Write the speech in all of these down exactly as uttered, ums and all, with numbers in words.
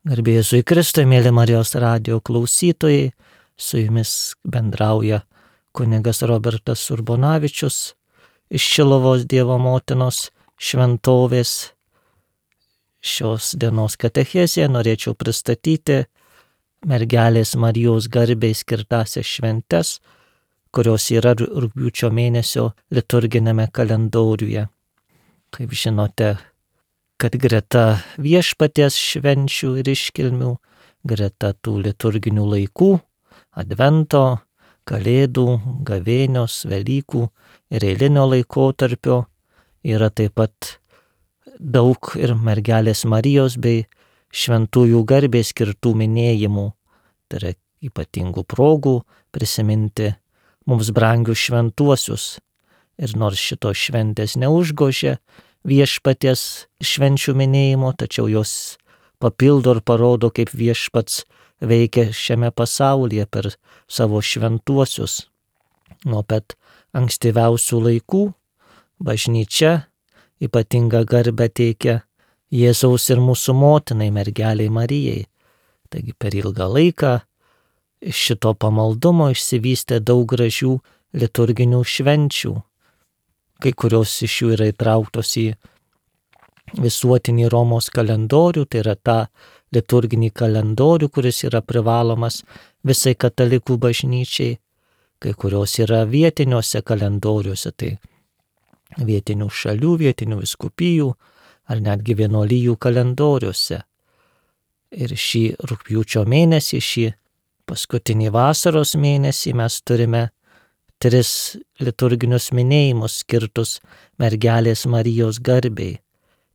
Garbė Jėzui Kristui, mėly Marijos radijo klausytojai, su jumis bendrauja kunigas Robertas Urbonavičius iš Šiluvos Dievo motinos šventovės. Šios dienos katechezėje norėčiau pristatyti mergelės Marijos garbei skirtasias šventes, kurios yra rugpjūčio mėnesio liturginėme kalendoriuje. Kaip žinote, kad greta viešpaties švenčių ir iškilmių, greta tų liturginių laikų, advento, kalėdų, gavėnios, velykų ir eilinio laikotarpio, yra taip pat daug ir mergelės Marijos bei šventųjų garbei skirtų minėjimų. Tai yra ypatingų progų prisiminti mums brangius šventuosius. Ir nors šitos šventės neužgožia viešpaties švenčių minėjimo, tačiau jos papildo ir parodo, kaip viešpats veikia šiame pasaulyje per savo šventuosius. Nuo pat ankstyviausių laikų bažnyčia ypatingą garbę teikia Jėzaus ir mūsų motinai mergelei Marijai. Taigi per ilgą laiką iš šito pamaldumo išsivystė daug gražių liturginių švenčių. Kai kurios iš jų yra įtrauktos į visuotinį Romos kalendorių, tai yra tą liturginį kalendorių, kuris yra privalomas visai katalikų bažnyčiai. Kai kurios yra vietiniuose kalendoriuose, tai vietinių šalių, vietinių vyskupijų ar netgi vienuolijų kalendoriuose. Ir šį rugpjūčio mėnesį, šį paskutinį vasaros mėnesį mes turime tris liturginius minėjimus skirtus mergelės Marijos garbei.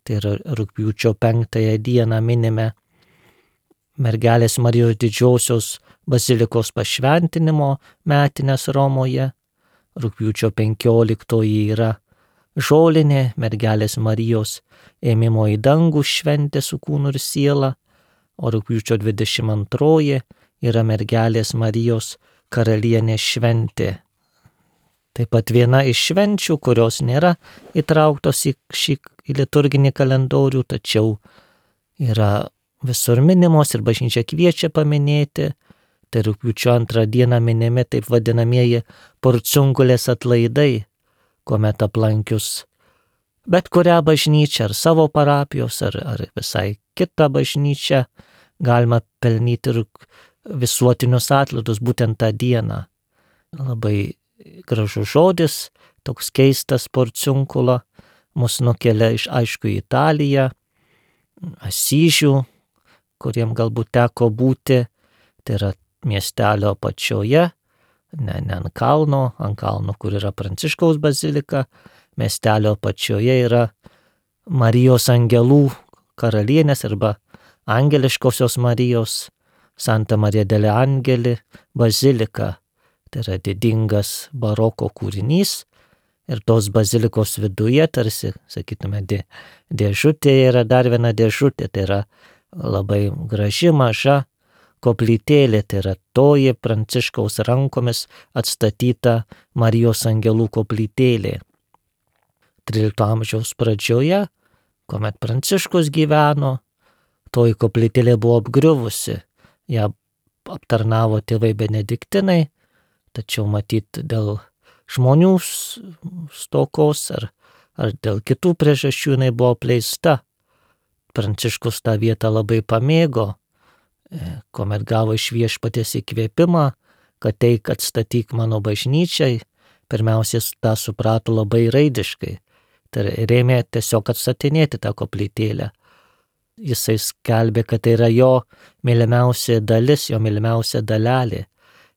Tai yra rugpjūčio penktąją dieną minime mergelės Marijos didžiosios bazilikos pašventinimo metines Romoje. Rugpjūčio penkioliktoji yra žolinė mergelės Marijos ėmimo į dangų šventė su kūnu ir siela, o rugpjūčio dvidešimt antroji yra mergelės Marijos karalienės šventė. Taip pat viena iš švenčių, kurios nėra įtrauktos į šį į liturginį kalendorių, tačiau yra visur minimos ir bažnyčia kviečia paminėti. Tai rugpjūčio antrą dieną minimi taip vadinamieji porciungulės atlaidai, kuomet aplankius bet kurią bažnyčią ar savo parapijos ar, ar visai kitą bažnyčią galima pelnyti visuotinius atlaidus būtent tą dieną. Labai gražus žodis, toks keistas porciunkula, mus nukelia iš aišku į Italiją, Asyžių, kuriem galbūt teko būti, tai yra miestelio apačioje, ne, ne ant kalno, ant kalno, kur yra Pranciškaus bazilika, miestelio apačioje yra Marijos angelų karalienės arba angeliškosios Marijos, Santa Marija delle Angeli bazilika. Tai yra didingas baroko kūrinys ir tos bazilikos viduje tarsi, sakytume, dė, dėžutė yra dar viena dėžutė, tai yra labai graži maža koplytėlė, tai yra toji Pranciškaus rankomis atstatyta Marijos angelų koplytėlė. trylikto amžiaus pradžioje, kuomet Pranciškus gyveno, toji koplytėlė buvo apgriuvusi, ją aptarnavo tėvai benediktinai, tačiau matyt dėl žmonių stokos ar, ar dėl kitų priežasčių jinai buvo apleista. Pranciškus tą vietą labai pamėgo, kuomet gavo iš viešpaties įkvėpimą, kad teik atstatyk mano bažnyčiai, pirmiausia tą suprato labai raidiškai. Tai rėmė tiesiog atstatinėti tą koplytėlę. Jisai skelbė, kad tai yra jo mylimiausia dalis, jo mylimiausia dalelė.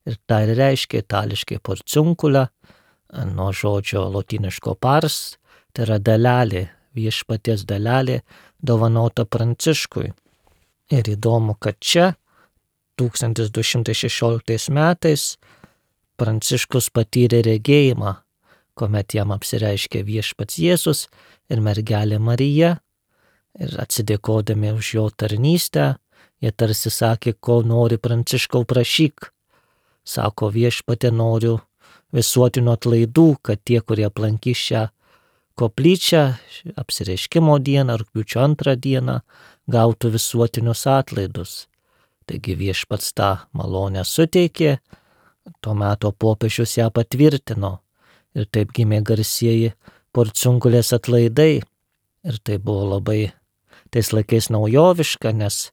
Ir tai reiškia itališkai porciunkula, nuo žodžio lotyniško pars, tai yra dalelė, viešpaties dalelė, dovanota Pranciškui. Ir įdomu, kad čia, tūkstantis du šimtai šešioliktais metais, Pranciškus patyrė regėjimą, kuomet jam apsireiškė viešpats Jėzus ir mergelė Marija. Ir atsidėkodami už jo tarnystę, jie tarsi sakė, ko nori Pranciškau prašyk. Sako viešpatė, noriu visuotinių atlaidų, kad tie, kurie aplankys šią koplyčią apsireiškimo dieną, rugpjūčio antrą dieną, gautų visuotinius atlaidus. Taigi viešpats tą malonę suteikė, tuo metu popiežius ją patvirtino ir taip gimė garsieji Porciunkulės atlaidai. Ir tai buvo labai tais laikais naujoviška, nes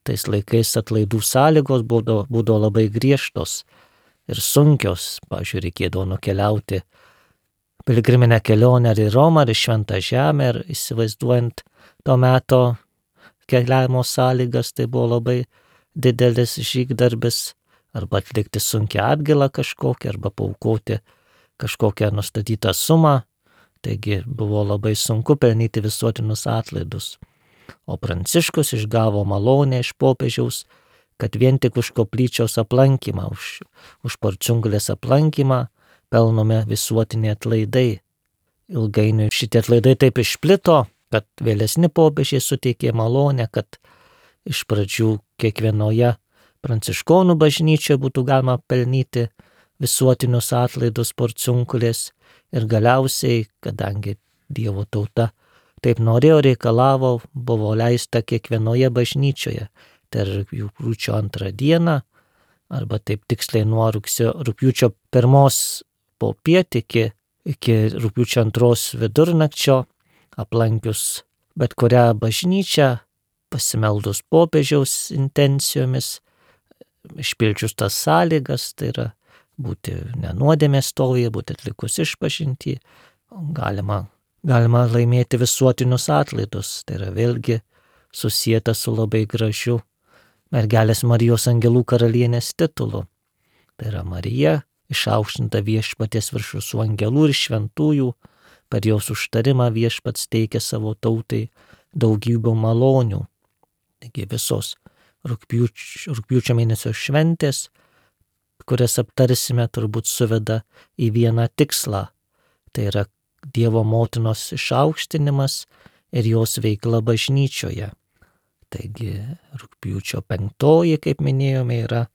tais laikais atlaidų sąlygos būdavo, būdavo labai griežtos ir sunkios. Pavyzdžiui, reikėdavo nukeliauti piligriminę kelionę ar į Romą, ar į Šventą Žemę, ir įsivaizduojant to meto keliavimo sąlygas, tai buvo labai didelis žygdarbis, arba atlikti sunkią atgailą kažkokią, arba paaukoti kažkokią nustatytą sumą. Taigi buvo labai sunku pelnyti visuotinius atlaidus. O Pranciškus išgavo malonę iš popiežiaus, kad vien tik už koplyčios aplankymą, už, už Porciunkulės aplankymą pelnome visuotiniai atlaidai. Ilgainiui šitie atlaidai taip išplito, kad vėlesni popiežiai suteikė malonę, kad iš pradžių kiekvienoje pranciškonų bažnyčioje būtų galima pelnyti visuotinius atlaidus Porciunkulės, ir galiausiai, kadangi Dievo tauta taip norėjo, reikalavo, buvo leista kiekvienoje bažnyčioje. Tai rugpjūčio antrą dieną, arba taip tiksliai nuo rugsėjo, rugpjūčio pirmos popiet iki, iki rugpjūčio antros vidurnakčio, aplankius bet kurią bažnyčią, pasimeldus popiežiaus intencijomis, išpildžius tas sąlygas, tai yra būti nenuodėmės stovyje, būti atlikus išpažintį, galima, galima laimėti visuotinius atlaidus. Tai yra vėlgi susieta su labai gražiu mergelės Marijos angelų karalienės titulu. Tai yra Marija, išaukštinta viešpaties virš visų angelų ir šventųjų, per jos užtarimą viešpats teikia savo tautai daugybę malonių. Taigi visos rugpjūčio, rugpjūčio mėnesio šventės, kurias aptarsime, turbūt suveda į vieną tikslą. Tai yra Dievo motinos išaukštinimas ir jos veikla bažnyčioje. Taigi rugpjūčio penktoji, kaip minėjome, yra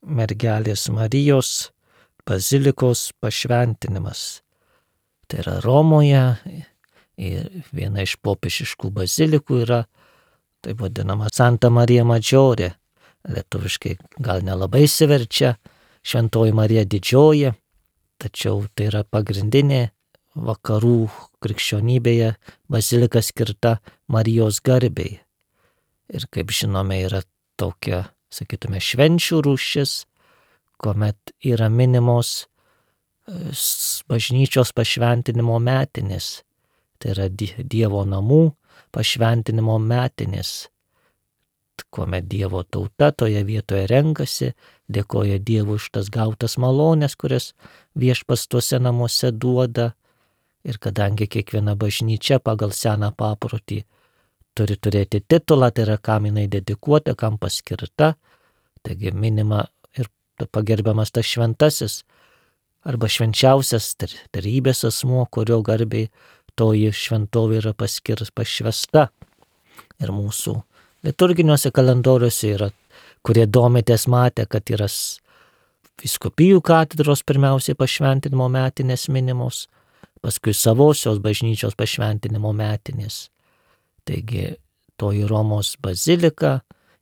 mergelės Marijos bazilikos pašventinimas. Tai yra Romoje, ir viena iš popiežiškų bazilikų yra taip vadinama Santa Marija Maggiore. Lietuviškai gal nelabai įsiverčia Šventoji Marija Didžioji, tačiau tai yra pagrindinė vakarų krikščionybėje bazilika skirta Marijos garbei. Ir kaip žinome, yra tokia, sakytume, švenčių rūšis, kuomet yra minimos bažnyčios pašventinimo metinės. Tai yra Dievo namų pašventinimo metinės, kuomet Dievo tauta toje vietoje renkasi, dėkoja Dievui už tas gautas malonės, kurias viešpats tuose namuose duoda. Ir kadangi kiekviena bažnyčia pagal seną paprotį turi turėti titulą, tai yra kam jinai dedikuota, kam paskirta, taigi minima ir pagerbiamas tas šventasis arba švenčiausias trejybės asmuo, kurio garbei toji šventovė yra paskirs pašvesta. Ir mūsų liturginiuose kalendoriuose yra, kurie domitės, matė, kad yra vyskupijų katedros pirmiausiai pašventinimo metinės minimos, paskui savosios bažnyčios pašventinimo metinės. Taigi toji Romos bazilika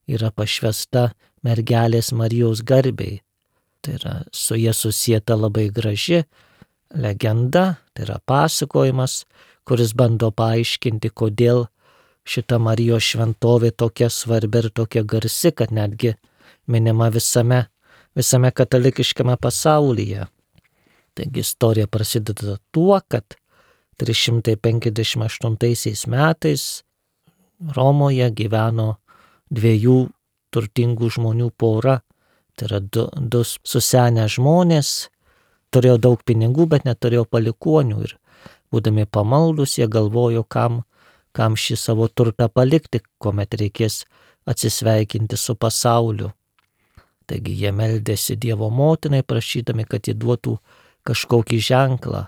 yra pašvesta mergelės Marijos garbei. Tai yra su jie susieta labai graži legenda, tai yra pasakojimas, kuris bando paaiškinti, kodėl šita Marijos šventovė tokia svarbi ir tokia garsi, kad netgi minima visame, visame katalikiškame pasaulyje. Taigi istorija prasideda tuo, kad trys šimtai penkiasdešimt aštuntaisiais metais Romoje gyveno dviejų turtingų žmonių pora. Tai yra du, du susenę žmonės, turėjo daug pinigų, bet neturėjo palikuonių. Ir būdami pamaldus, jie galvojo, kam, kam šį savo turtą palikti, kuomet reikės atsisveikinti su pasauliu. Taigi jie meldėsi Dievo motinai, prašydami, kad jį duotų kažkokį ženklą,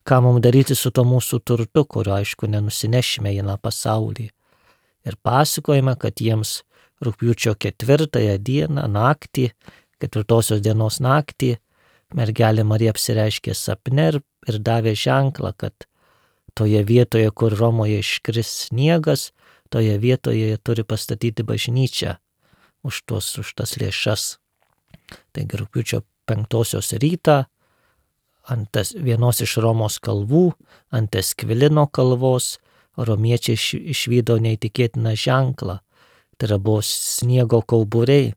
ką mums daryti su to mūsų turtu, kurio aišku nenusinešime į tą pasaulį. Ir pasakojame, kad jiems rugpjūčio ketvirtąją dieną, naktį, ketvirtosios dienos naktį, mergelė Marija apsireiškė sapne ir, ir davė ženklą, kad toje vietoje, kur Romoje iškris sniegas, toje vietoje jie turi pastatyti bažnyčią už, tuos, už tas lėšas. Taigi rugpjūčio penktosios rytą ant tas, vienos iš Romos kalvų, ant Eskvilino kalvos, romiečiai iš, išvydo neįtikėtiną ženklą. Tai yra buvo sniego kauburiai.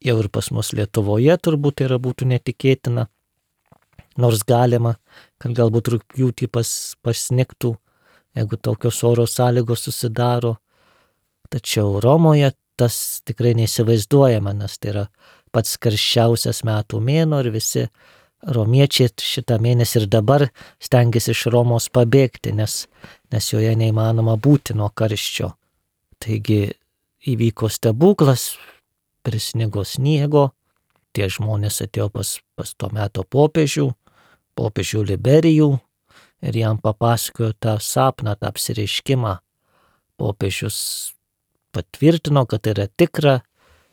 Jau ir pas mus Lietuvoje turbūt tai yra būtų netikėtina. Nors galima, kad galbūt rugpjūtį pas, pasnigtų, jeigu tokios oro sąlygos susidaro. Tačiau Romoje tas tikrai neįsivaizduojama, nes tai yra pats karščiausias metų mėnuo ir visi romiečiai šitą mėnesį ir dabar stengiasi iš Romos pabėgti, nes, nes joje neįmanoma būti nuo karščio. Taigi įvyko stebuklas, prisnigo sniego, tie žmonės atėjo pas, pas to meto popiežių, popiežių Liberijų ir jam papasakojo tą sapną, tą apsireiškimą. Popiežius patvirtino, kad tai yra tikra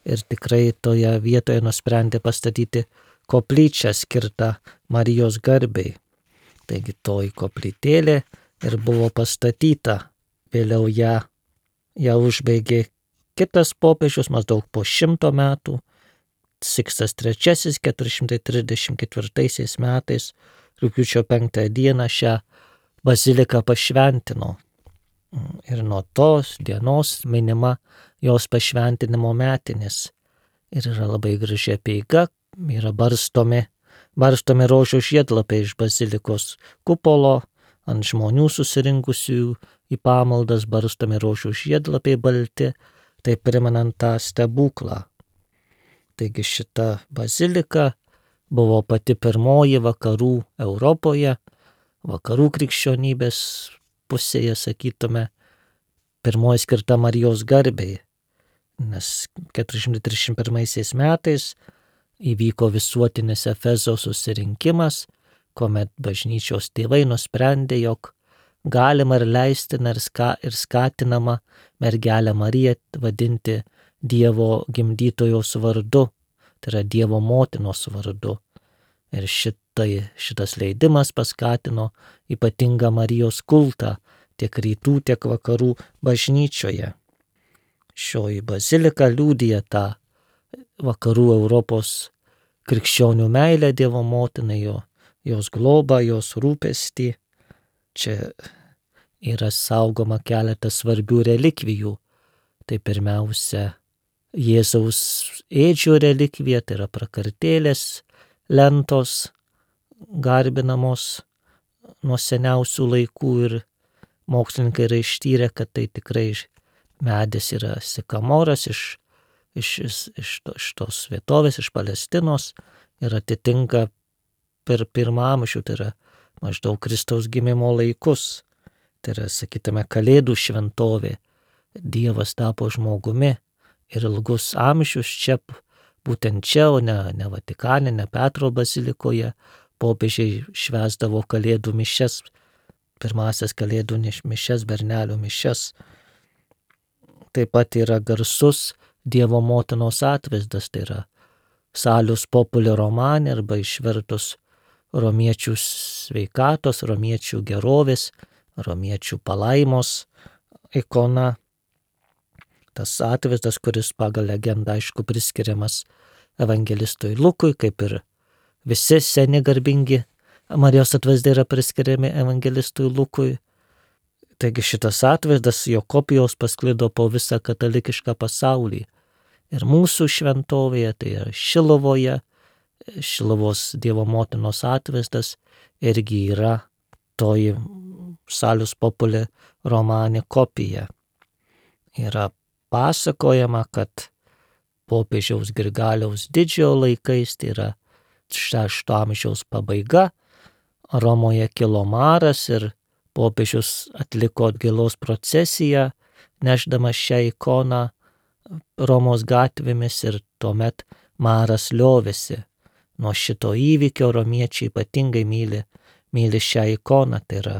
ir tikrai toje vietoje nusprendė pastatyti koplyčią skirtą Marijos garbei. Taigi toji koplytėlė ir buvo pastatyta. Vėliau ją, ją užbaigė kitas popiežius maždaug po šimto metų. Sikstas trečiasis keturi šimtai trisdešimt ketvirtaisiais metais rugpjūčio penktąją dieną šią baziliką pašventino. Ir nuo tos dienos minima jos pašventinimo metinės. Ir yra labai graži apeiga, yra barstomi, barstomi rožių žiedlapiai iš bazilikos kupolo, ant žmonių susirinkusių į pamaldas barstomi rožių žiedlapiai balti, tai primenant tą stebuklą. Taigi šita bazilika buvo pati pirmoji vakarų Europoje, vakarų krikščionybės pusėje, sakytume, pirmoji skirta Marijos garbei, nes keturi šimtai trisdešimt pirmaisiais metais įvyko visuotinis Efezo susirinkimas, kuomet bažnyčios tėvai nusprendė, jog galima ir leistina ir, ska, ir skatinama mergelę Mariją vadinti Dievo gimdytojos vardu, tai yra Dievo motinos vardu. Ir šitai, šitas leidimas paskatino ypatingą Marijos kultą tiek rytų, tiek vakarų bažnyčioje. Šioji bazilika liudija tą vakarų Europos krikščionių meilę Dievo motinai, jo, jos globą, jos rūpestį. Čia yra saugoma keletas svarbių relikvijų. Tai pirmiausia Jėzaus ėdžio relikvija, tai yra prakartėlės, lentos garbinamos nuo seniausių laikų ir mokslininkai yra ištyrę, kad tai tikrai medis yra sikamoras iš, iš, iš, iš, to, iš tos vietovės, iš Palestinos ir atitinka per pirmą amžių, tai yra maždaug Kristaus gimimo laikus. Tai yra, sakytume, Kalėdų šventovė. Dievas tapo žmogumi ir ilgus amžius čia, būtent čia, o ne, ne Vatikane, ne Petro bazilikoje, popiežiai švęsdavo Kalėdų mišias, pirmasias Kalėdų mišias, bernelių mišias. Taip pat yra garsus Dievo motinos atvaizdas, tai yra Salus Populi Romane arba išvertus romiečių sveikatos, romiečių gerovės, romiečių palaimos ikona. Tas atvaizdas, kuris pagal legendą aišku priskiriamas evangelistui Lukui, kaip ir visi seni garbingi Marijos atvaizdai yra priskiriami evangelistui Lukui. Taigi šitas atvaizdas, jo kopijos pasklido po visą katalikišką pasaulį. Ir mūsų šventovėje, tai yra Šilovoje, Šiluvos Dievo motinos atvaizdas irgi yra toji Salus Populi Romane kopija. Yra pasakojama, kad popiežiaus Grigaliaus didžiojo laikais, tai yra šešto amžiaus pabaiga, Romoje kilo maras ir popiežius atliko atgailos procesiją, nešdamas šią ikoną Romos gatvėmis ir tuomet maras liovėsi. Nuo šito įvykio romiečiai ypatingai myli, myli šią ikoną, tai yra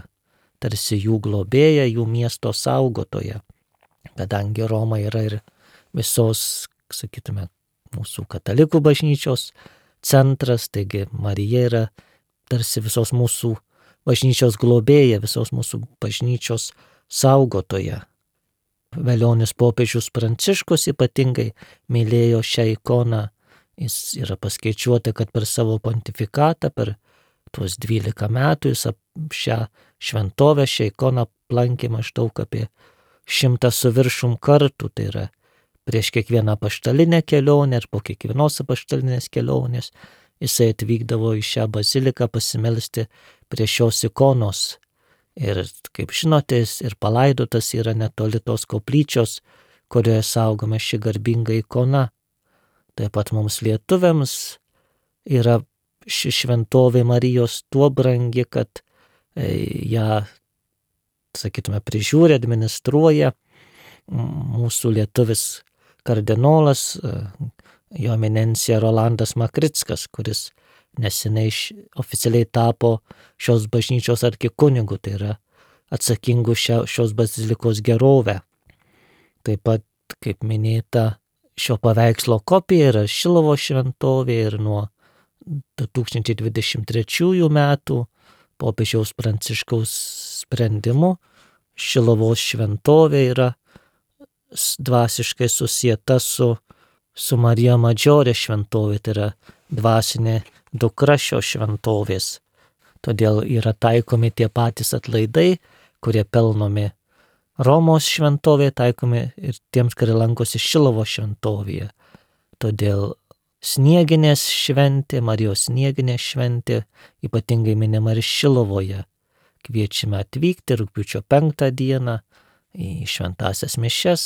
tarsi jų globėja, jų miesto saugotoja. Kadangi Roma yra ir visos, sakytume, mūsų katalikų bažnyčios centras, taigi Marija yra tarsi visos mūsų bažnyčios globėja, visos mūsų bažnyčios saugotoja. Velionis popiežius Pranciškus ypatingai mylėjo šią ikoną. Jis yra paskaičiuota, kad per savo pontifikatą, per tuos dvylika metų jis šią šventovę, šią ikoną aplankė maždaug apie šimtą su viršum kartų. Tai yra prieš kiekvieną apaštalinę kelionę ir po kiekvienos apaštalinės kelionės jisai atvykdavo į šią baziliką pasimelsti prie šios ikonos. Ir kaip žinote, jis ir palaidotas yra netoli tos koplyčios, kurioje saugoma ši garbinga ikona. Taip pat mums lietuviams yra ši šventovė Marijos tuo brangi, kad ją, sakytume, prižiūri, administruoja mūsų lietuvis kardinolas, jo eminencija Rolandas Makrickas, kuris neseniai oficialiai tapo šios bažnyčios arkikunigu, tai yra atsakingu šia, šios bazilikos gerovę. Taip pat, kaip minėta, šio paveikslo kopija yra Šiluvos šventovė ir nuo du tūkstančiai dvidešimt trečiųjų metų popiežiaus Pranciškaus sprendimu Šiluvos šventovė yra dvasiškai susieta su, su Marija Madžiorė šventovė, tai yra dvasinė dukra šios šventovės. Todėl yra taikomi tie patys atlaidai, kurie pelnomi Romos šventovėje, taikomi ir tiems, kurie lankosi Šiluvos šventovėje. Todėl snieginės šventė, Marijos snieginės šventė, ypatingai minima ir Šiluvoje. Kviečiame atvykti rugpjūčio penktą dieną į šventąsias mišias,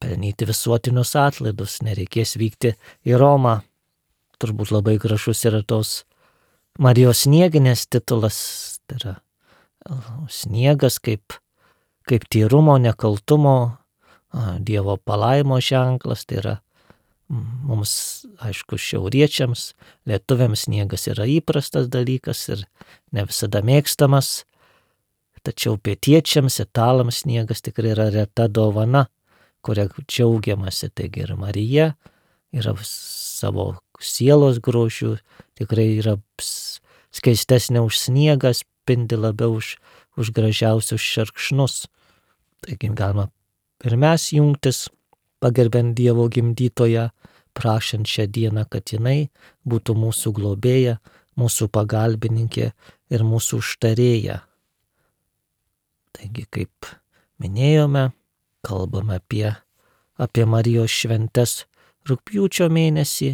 pelnyti visuotinius atlaidus, nereikės vykti į Romą. Turbūt labai gražus yra tos Marijos snieginės titulas, tai yra sniegas kaip, kaip tyrumo, nekaltumo, Dievo palaimo ženklas, tai yra mums, aišku, šiauriečiams, lietuviams sniegas yra įprastas dalykas ir ne visada mėgstamas, tačiau pietiečiams, italams sniegas tikrai yra reta dovana, kuria džiaugiamasi. Taigi ir Marija yra savo sielos grožių, tikrai yra skaistesnė už sniegą, spindi labiau už, už gražiausius šerkšnus. Taigi galima ir mes jungtis, pagerbiant Dievo gimdytoją, prašant šią dieną, kad jinai būtų mūsų globėja, mūsų pagalbininkė ir mūsų užtarėja. Taigi, kaip minėjome, kalbame apie, apie Marijos šventes rugpjūčio mėnesį,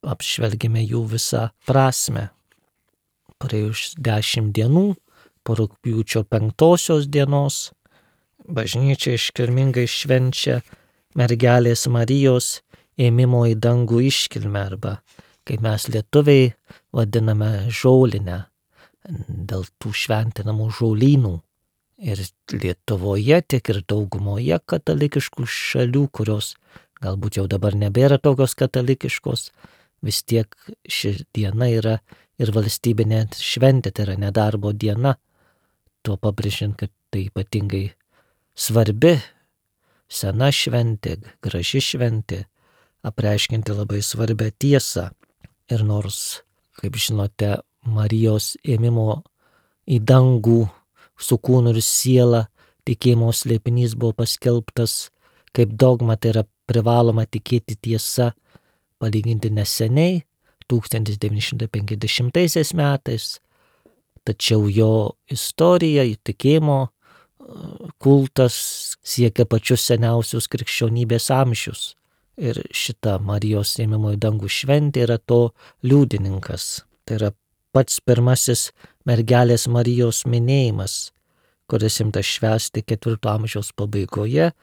apžvelgime jų visą prasme. Praėjus dešimt dienų po rugpjūčio penktosios dienos bažnyčia iškilmingai švenčia mergelės Marijos ėmimo į dangų iškilmę, arba, kaip mes lietuviai vadiname, žolinę, dėl tų šventinamų žolynų. Ir Lietuvoje, tiek ir daugumoje katalikiškų šalių, kurios galbūt jau dabar nebėra tokios katalikiškos, vis tiek ši diena yra ir valstybinė šventė, tai yra nedarbo diena, tuo pabrėžiant, kad tai ypatingai svarbi, sena šventė, graži šventė, apreiškinti labai svarbią tiesą. Ir nors, kaip žinote, Marijos ėmimo į dangų su kūnu ir siela tikėjimo slėpinys buvo paskelbtas kaip dogma, tai yra privaloma tikėti tiesa, palyginti neseniai, tūkstantis devyni šimtai penkiasdešimtaisiais metais, tačiau jo istorija, tikėjimo kultas siekia pačius seniausius krikščionybės amžius. Ir šita Marijos ėmimo į dangų šventė yra to liudininkas. Tai yra pats pirmasis mergelės Marijos minėjimas, kuris imtas švęsti ketvirto amžiaus pabaigoje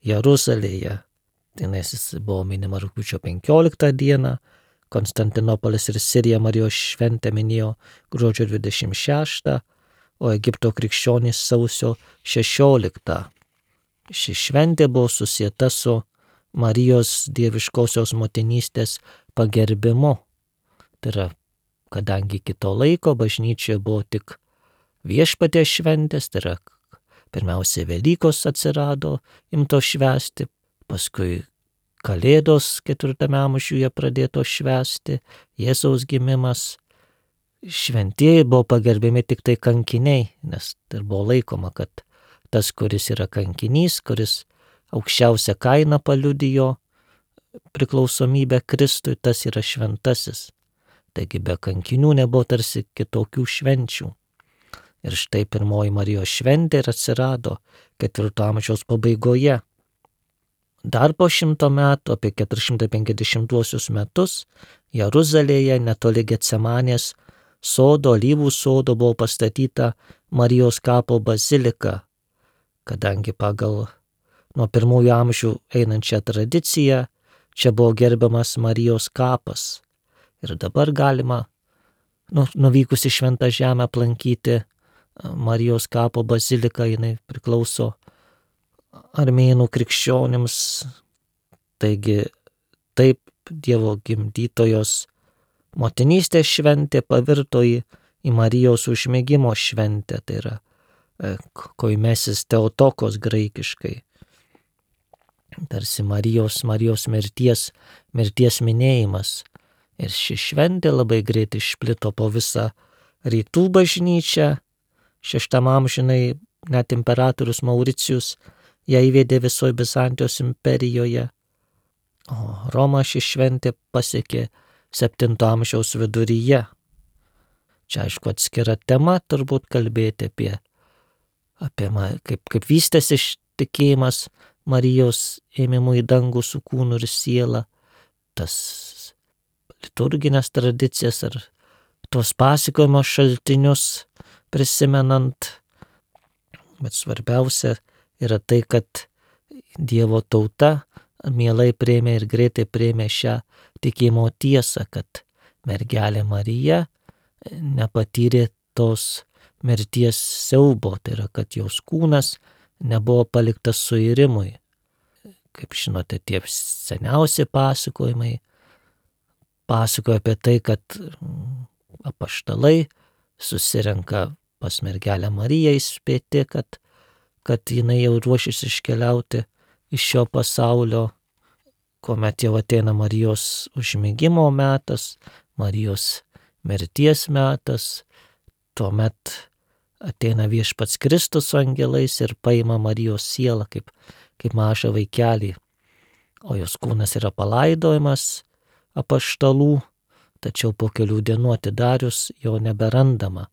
Jeruzalėje. Jis buvo minima rugpjūčio penkioliktą dieną, Konstantinopolis ir Sirija Marijos šventę minėjo gruodžio dvidešimt šeštą, o Egipto krikščionys sausio šešioliktą. Ši šventė buvo susieta su Marijos dieviškosios motinystės pagerbimu. Tai yra, kadangi kito laiko bažnyčioje buvo tik viešpaties šventės, tai yra pirmiausia Velykos atsirado, imto švęsti, paskui Kalėdos ketvirtame amžiuje pradėto švęsti, Jėzaus gimimas. Šventieji buvo pagerbiami tik tai kankiniai, nes tai buvo laikoma, kad tas, kuris yra kankinys, kuris aukščiausią kainą paliudijo priklausomybę Kristui, tas yra šventasis. Taigi be kankinių nebuvo tarsi kitokių švenčių. Ir štai pirmoji Marijos šventė ir atsirado ketvirto amžiaus pabaigoje. Dar po šimto metų, apie keturi šimtai penkiasdešimtuosius metus, Jeruzalėje netoli Getsemanės sodo, Alyvų sodo buvo pastatyta Marijos kapo bazilika, kadangi pagal nuo pirmųjų amžių einančią tradiciją čia buvo gerbiamas Marijos kapas. Ir dabar galima, nu, nuvykus į Šventą Žemę, aplankyti Marijos kapo baziliką, jinai priklauso armėnų krikščionims. Taigi taip Dievo gimdytojos motinystės šventė pavirto į, į Marijos užmigimo šventę, tai yra koimesis Teotokos graikiškai. Tarsi Marijos, Marijos mirties, mirties minėjimas. Ir ši šventė labai greit išplito po visą rytų bažnyčią. Šeštam amžinai net imperatorius Mauricijus ją įvedė visoje Bizantijos imperijoje. O Romą ši šventė pasiekė septinto amžiaus viduryje. Čia aišku atskira tema turbūt kalbėti apie, apie kaip, kaip vystėsi tikėjimas Marijos ėmimu į dangų su kūnu ir siela, tas liturginės tradicijas ar tuos pasakojimo šaltinius prisimenant. Bet svarbiausia yra tai, kad Dievo tauta mielai priėmė ir greitai priėmė šią tikėjimo tiesą, kad mergelė Marija nepatyrė tos mirties siaubo, tai yra, kad jos kūnas nebuvo paliktas suirimui. Kaip žinote, tie seniausi pasakojimai pasakoja apie tai, kad apaštalai susirenka pas mergelę Mariją įspėti, kad, kad jinai jau ruošis iškeliauti iš šio pasaulio, kuomet jau ateina Marijos užmigimo metas, Marijos mirties metas, tuomet ateina Viešpats Kristus su angelais ir paima Marijos sielą kaip, kaip mažą vaikelį, o jos kūnas yra palaidojamas apaštalų, tačiau po kelių dienų atidarius jo neberandama.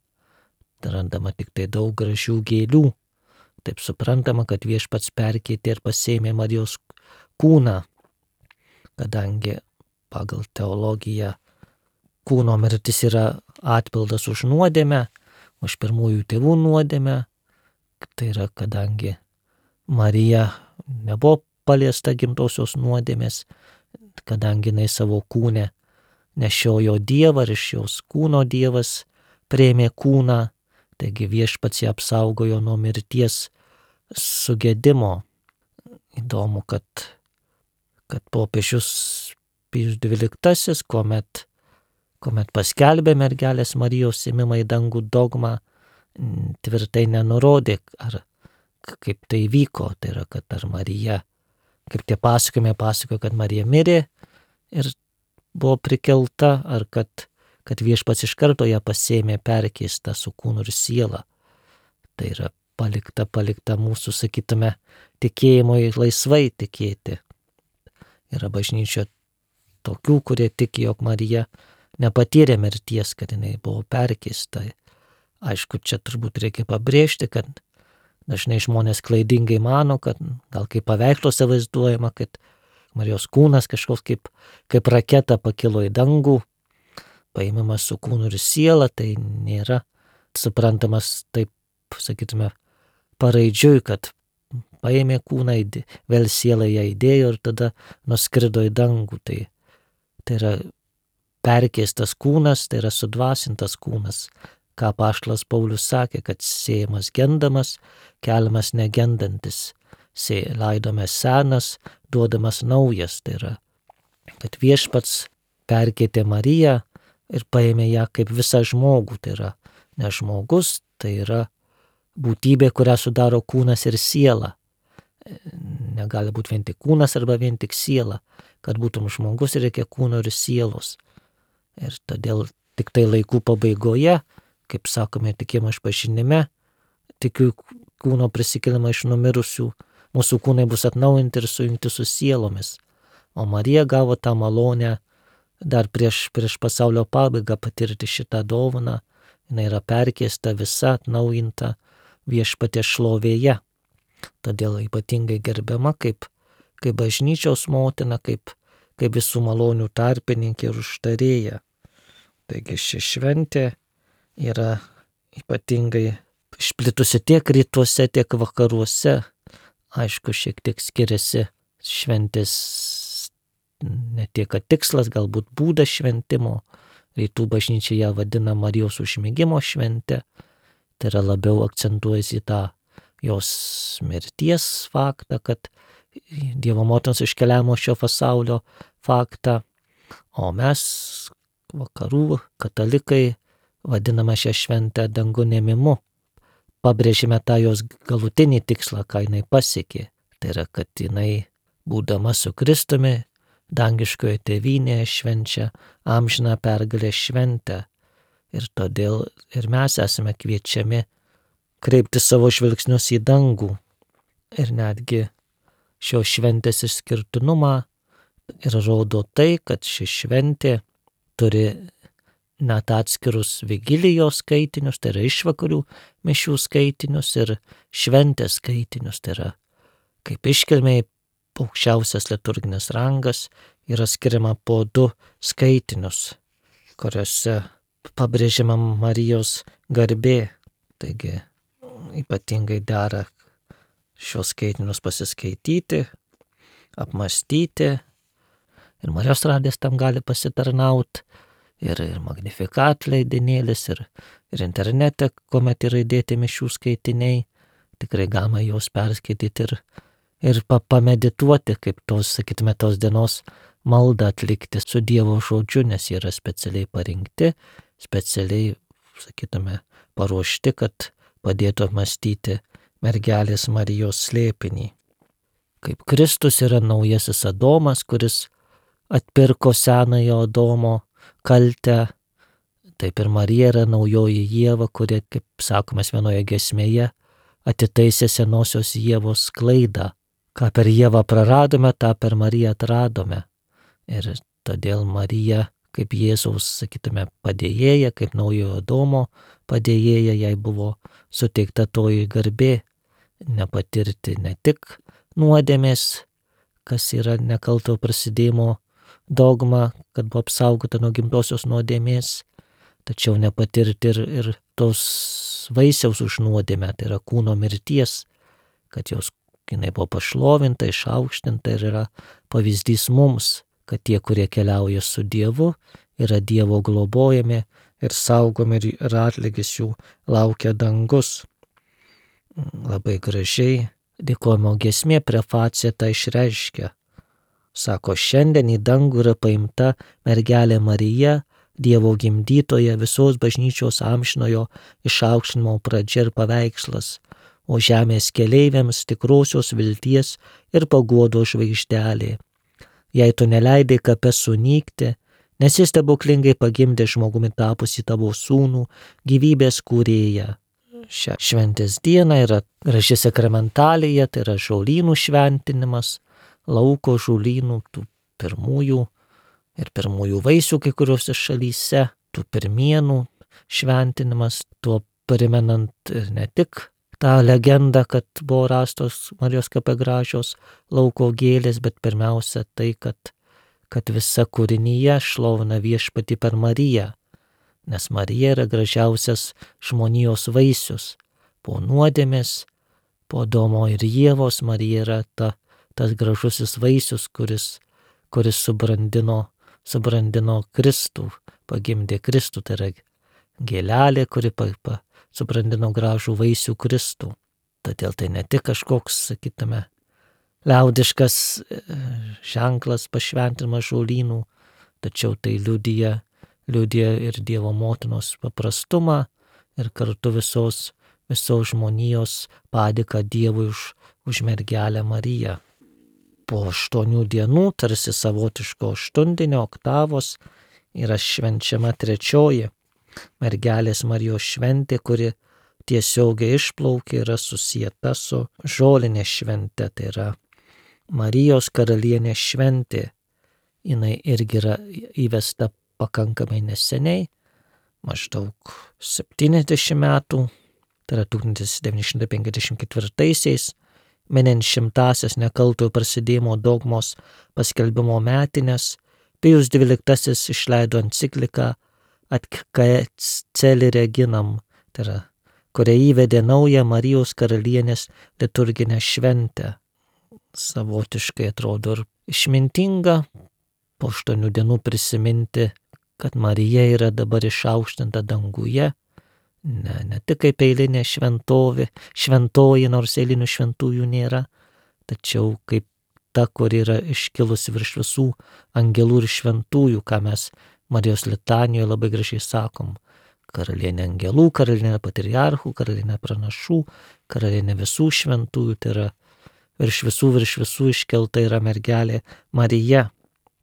Randama tik tai daug gražių gėlių. Taip suprantama, kad Viešpats perkeitė ir pasėmė Marijos kūną, kadangi pagal teologiją kūno mirtis yra atpildas už nuodėmę, už pirmųjų tėvų nuodėmę. Tai yra, kadangi Marija nebuvo paliesta gimtosios nuodėmės, kadangi jinai savo kūne nešiojo Dievą ir iš jos kūno Dievas priėmė kūną, taigi Viešpats ją apsaugojo nuo mirties sugedimo. Įdomu, kad, kad popiežius Pijus dvyliktasis, kuomet, kuomet paskelbė mergelės Marijos ėmimą į dangų dogmą, tvirtai nenurodė, ar kaip tai vyko, tai yra, kad ar Marija, kaip tie pasakojimai pasakojo, kad Marija mirė ir buvo prikelta, ar kad, kad Viešpats iš karto ją pasėmė perkeistą su kūnu ir siela. Tai yra palikta, palikta mūsų, sakytume, tikėjimui laisvai tikėti. Yra bažnyčioje tokių, kurie tiki, jog Marija nepatyrė mirties, kad jinai buvo perkeista. Aišku, čia turbūt reikia pabrėžti, kad dažnai žmonės klaidingai mano, kad gal kaip paveiksluose vaizduojama, kad Marijos kūnas kažkoks kaip, kaip raketa pakilo į dangų, paimimas su kūnu ir siela, tai nėra suprantamas taip, sakytume, paraidžiui, kad paėmė kūną, vėl sielą ją įdėjo ir tada nuskrido į dangų. Tai, tai yra perkeistas kūnas, tai yra sudvasintas kūnas, ką apaštalas Paulius sakė, kad sėjamas gendamas, keliamas negendantis, laidomas senas, duodamas naujas. Tai yra, kad Viešpats perkeitė Mariją ir paėmė ją kaip visą žmogų. Tai yra ne žmogus, tai yra būtybė, kurią sudaro kūnas ir siela. Negali būti vien tik kūnas arba vien tik siela. Kad būtum žmogus, reikia kūno ir sielos. Ir todėl tik tai laikų pabaigoje, kaip sakome tikėjimo išpažinime, tikiu kūno prisikelimą iš numirusių, mūsų kūnai bus atnaujinti ir sujungti su sielomis. O Marija gavo tą malonę dar prieš, prieš pasaulio pabaigą patirti šitą dovaną. Jis yra perkeista, visa atnaujinta Viešpaties šlovėje. Todėl ypatingai gerbiama kaip, kaip bažnyčios motina, kaip, kaip visų malonių tarpininkė ir užtarėja. Taigi ši šventė yra ypatingai išplitusi tiek rytuose, tiek vakaruose. Aišku, šiek tiek skiriasi šventės ne tiek kad tikslas, galbūt būdas šventimo. Rytų bažnyčia ją vadina Marijos užmigimo šventė. Tai yra labiau akcentuojasi tą jos mirties faktą, kad Dievo motinos iškeliavimo šio pasaulio faktą. O mes, vakarų katalikai, vadiname šią šventę dangun ėmimu. Pabrėžime tą jos galutinį tikslą, ką jinai pasiekė. Tai yra, kad jinai, būdama su Kristumi, dangiškoje tėvynėje švenčia amžiną pergalę šventę. Ir todėl ir mes esame kviečiami kreipti savo žvilgsnius į dangų. Ir netgi šios šventės išskirtinumą ir rodo tai, kad ši šventė turi net atskirus vigilijos skaitinius, tai yra išvakarių mišių skaitinius ir šventės skaitinius. Tai yra kaip iškilmiai aukščiausias liturginis rangas yra skiriama po du skaitinius, kuriuose pabrėžiama Marijos garbė. Taigi ypatingai dera šios skaitinius pasiskaityti, apmastyti. Ir Marijos radijas tam gali pasitarnauti. Ir, ir Magnificat leidinėlis, ir, ir internete, kuomet yra įdėti mišių skaitiniai. Tikrai galima juos perskaityti ir, ir pamedituoti, kaip tos, sakytume, tos dienos maldą atlikti su Dievo žodžiu, nes jie yra specialiai parinkti, specialiai, sakytume, paruošti, kad padėtų apmastyti mergelės Marijos slėpinį. Kaip Kristus yra naujasis Adomas, kuris atpirko senojo Adomo kaltę, taip ir Marija yra naujoji Ieva, kuri, kaip sakomės vienoje giesmėje, atitaisė senosios Ievos klaidą. Ką per Ievą praradome, tą per Mariją atradome. Ir todėl Marija, kaip Jėzaus, sakytume, padėjėja, kaip naujojo Adomo padėjėja, jai buvo suteikta toji garbė nepatirti ne tik nuodėmės, kas yra nekalto prasidėjimo dogma, kad buvo apsaugota nuo gimtosios nuodėmės, tačiau nepatirti ir, ir tos vaisiaus už nuodėmę, tai yra kūno mirties, kad jos jinai buvo pašlovinta, išaukštinta ir yra pavyzdys mums, kad tie, kurie keliauja su Dievu, yra Dievo globojami ir saugomi ir atlygis jų laukia dangus. Labai gražiai dėkojimo giesmė prefacija tą išreiškia. Sako, šiandien į dangų yra paimta mergelė Marija, Dievo gimdytoja, visos bažnyčios amžinojo išaukštinimo pradžia ir paveikslas, o žemės keleiviams tikrosios vilties ir paguodos žvaigždelė. Jei tu neleidai kape sunykti, nes jis stebuklingai pagimdė žmogumi tapusi tavo sūnų, gyvybės kūrėją. Šią šventės dieną yra graži sakramentalija, tai yra žolynų šventinimas, lauko žolynų, tų pirmųjų ir pirmųjų vaisių kai kuriuose šalyse, tų pirmienų šventinimas, tuo primenant ne tik tą legendą, kad buvo rastos Marijos kape gražios lauko gėlės, bet pirmiausia tai, kad, kad visa kūrinyje šlovina Viešpatį per Mariją, nes Marija yra gražiausias žmonijos vaisius. Po nuodėmės, po Adomo ir Ievos Marija yra ta tas gražusis vaisius, kuris, kuris subrandino, subrandino Kristų, pagimdė Kristų, tai yra gėlelė, kuri pa, pa, subrandino gražų vaisių Kristų. Todėl tai ne tik kažkoks, sakytume, liaudiškas ženklas pašventinimas žolynų, tačiau tai liudija, liudija ir Dievo motinos paprastumą ir kartu visos, visos žmonijos padėką Dievui už, už mergelę Mariją. Po aštuonių dienų, tarsi savotiško aštuntinio oktavos, yra švenčiama trečioji mergelės Marijos šventė, kuri tiesiogiai išplaukia, yra susijęta su žolinė švente, tai yra Marijos karalienės šventė. Jinai irgi yra įvesta pakankamai neseniai, maždaug septyniasdešimt metų, tai yra tūkstantis devyni šimtai penkiasdešimt ketvirtaisiais, minint šimtasias nekaltojo prasidėjimo dogmos paskelbimo metinės, Pijus dvyliktasis išleido encikliką Ad Caeli Reginam, tai yra, kuria įvedė naują Marijos karalienės liturginę šventę. Savotiškai atrodo ir išmintinga po aštuonių dienų prisiminti, kad Marija yra dabar išaukštinta danguje, ne, ne tik kaip eilinė šventovė, šventoji, nors eilinių šventųjų nėra, tačiau kaip ta, kur yra iškilusi virš visų angelų ir šventųjų, ką mes Marijos litanijoje labai gražiai sakom. Karalienė angelų, karalienė patriarchų, karalienė pranašų, karalienė visų šventųjų, tai yra virš visų, virš visų iškelta yra mergelė Marija.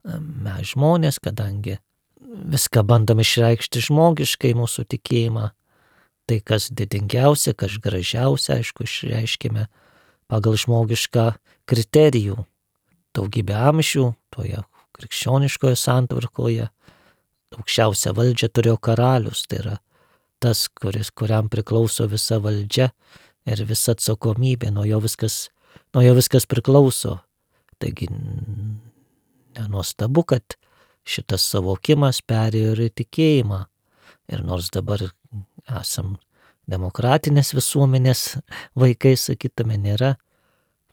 Mes žmonės, kadangi viską bandom išreikšti žmogiškai mūsų tikėjimą, tai kas didingiausia, kas gražiausia, aišku, išreiškime pagal žmogišką kriterijų. Daugybę amžių toje krikščioniškoje santvarkoje aukščiausią valdžią turėjo karalius, tai yra tas, kuris, kuriam priklauso visa valdžia ir visa atsakomybė, nuo jo viskas, nuo jo viskas priklauso. Taigi nenuostabu, kad šitas savokimas perėjo ir į tikėjimą. Ir nors dabar esam demokratinės visuomenės vaikai, sakytume, nėra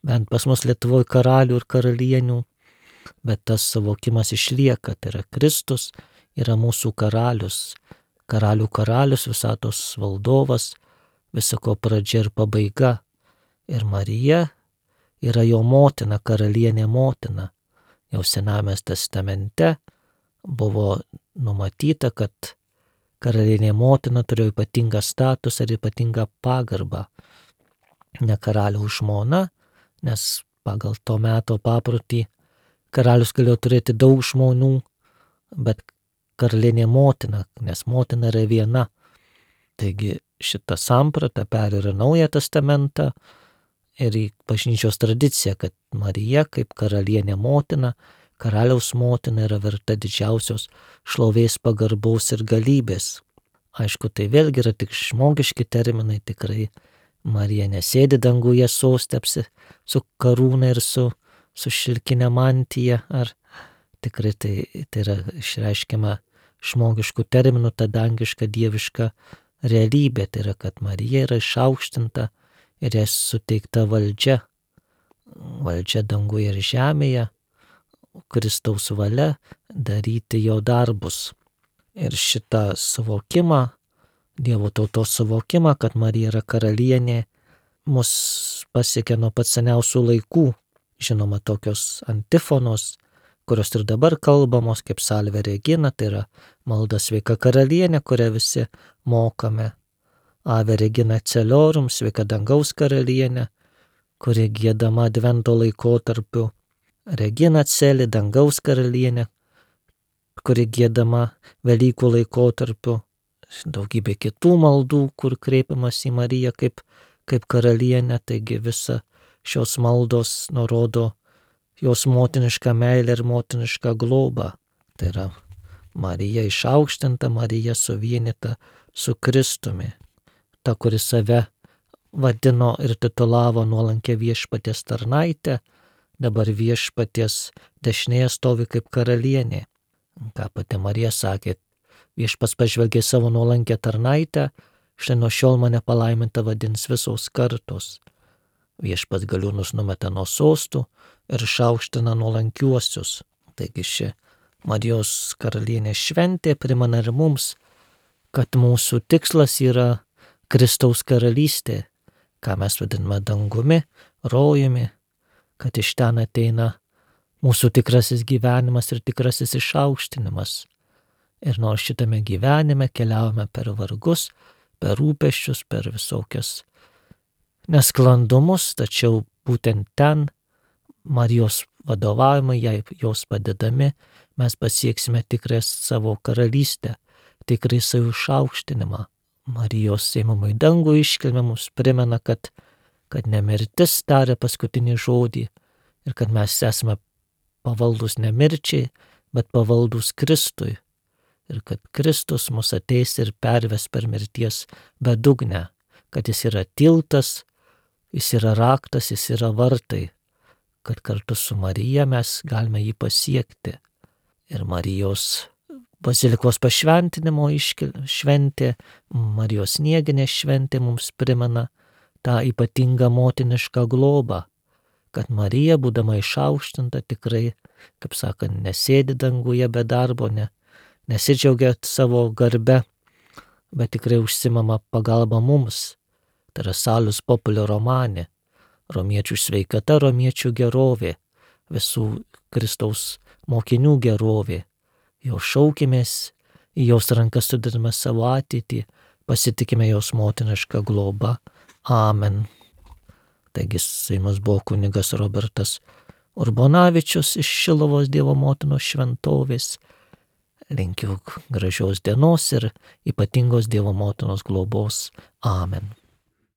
bent pas mus Lietuvoje karalių ir karalienių, bet tas savokimas išlieka, tai yra Kristus yra mūsų karalius, karalių karalius, visatos valdovas, visako pradžia ir pabaiga. Ir Marija yra jo motina, karalienė motina. Jau Sename testamente buvo numatyta, kad karalienė motina turėjo ypatingą statusą ir ypatingą pagarbą. Ne karaliaus žmona, nes pagal to meto paprotį karalius galėjo turėti daug žmonų, bet karalienė motina, nes motina yra viena. Taigi šitą sampratą perėjo Naują testamentą ir į bažnyčios tradiciją, kad Marija kaip karalienė motina, karaliaus motina yra verta didžiausios šlovės, pagarbos ir galybės. Aišku, tai vėlgi yra tik žmogiški terminai, tikrai Marija nesėdi danguje soste su karūna ir su, su šilkinė mantija, ar tikrai tai, tai yra išreiškiama žmogiškų terminų, ta dangiška dieviška realybė, tai yra, kad Marija yra išaukštinta ir jai suteikta valdžia, valdžia danguje ir žemėje, Kristaus valia daryti jo darbus. Ir šitą suvokimą, Dievo tautos suvokimą, kad Marija yra karalienė, mus pasiekia nuo pat seniausių laikų. Žinoma, tokios antifonos, kurios ir dabar kalbamos kaip Salve Regina, tai yra malda Sveika karalienė, kurią visi mokame. Ave Regina Celorum, Sveika dangaus karalienė, kuri giedama advento laikotarpiu. Regina Celi, dangaus karalienė, kuri giedama Velykų laikotarpiu. Daugybė kitų maldų, kur kreipiamas į Mariją kaip, kaip karalienę, taigi visa šios maldos nurodo jos motinišką meilę ir motinišką globą. Tai yra Marija išaukštinta, Marija suvienyta su Kristumi. Ta, kuri save vadino ir titulavo nuolankę viešpaties tarnaitę, dabar viešpaties dešinėje stovi kaip karalienė. Ką pati Marija sakė, viešpas pažvelgė savo nuolankę tarnaitę, štai nuo šiol mane palaiminta vadins visos kartos. Viešpas galiūnus numeta nuo sostų ir išaukština nuolankiuosius. Taigi ši Marijos karalienės šventė primena ir mums, kad mūsų tikslas yra Kristaus karalystė, ką mes vadiname dangumi, rojumi, kad iš ten ateina mūsų tikrasis gyvenimas ir tikrasis išaukštinimas. Ir nors šitame gyvenime keliaujame per vargus, per rūpesčius, per visokias nesklandumus, tačiau būtent ten Marijos vadovavimai, jai jos padedami, mes pasieksime tikrą savo karalystę, tikrą savo išaukštinimą. Marijos ėmimo į dangų iškilmė mums primena, kad, kad ne mirtis taria paskutinį žodį ir kad mes esame pavaldus ne mirčiai, bet pavaldus Kristui. Ir kad Kristus mus ateis ir perves per mirties bedugnę, kad jis yra tiltas, jis yra raktas, jis yra vartai, kad kartu su Marija mes galime jį pasiekti. Ir Marijos bazilikos pašventinimo iškil... šventė, Marijos snieginė šventė mums primena tą ypatingą motinišką globą, kad Marija, būdama išaukštinta, tikrai, kaip sakant, nesėdi danguje be darbo, ne, nesidžiaugia savo garbe, bet tikrai užsimama pagalba mums. Tai yra salus populio romane, romiečių sveikata, romiečių gerovė, visų Kristaus mokinių gerovė. Jo šaukimės, į jos rankas sudedame savo ateitį, pasitikime jos motinišką globą. Amen. Taigi su jumis buvo kunigas Robertas Urbonavičius iš Šiluvos Dievo motinos šventovės. Linkiu gražios dienos ir ypatingos Dievo motinos globos. Amen.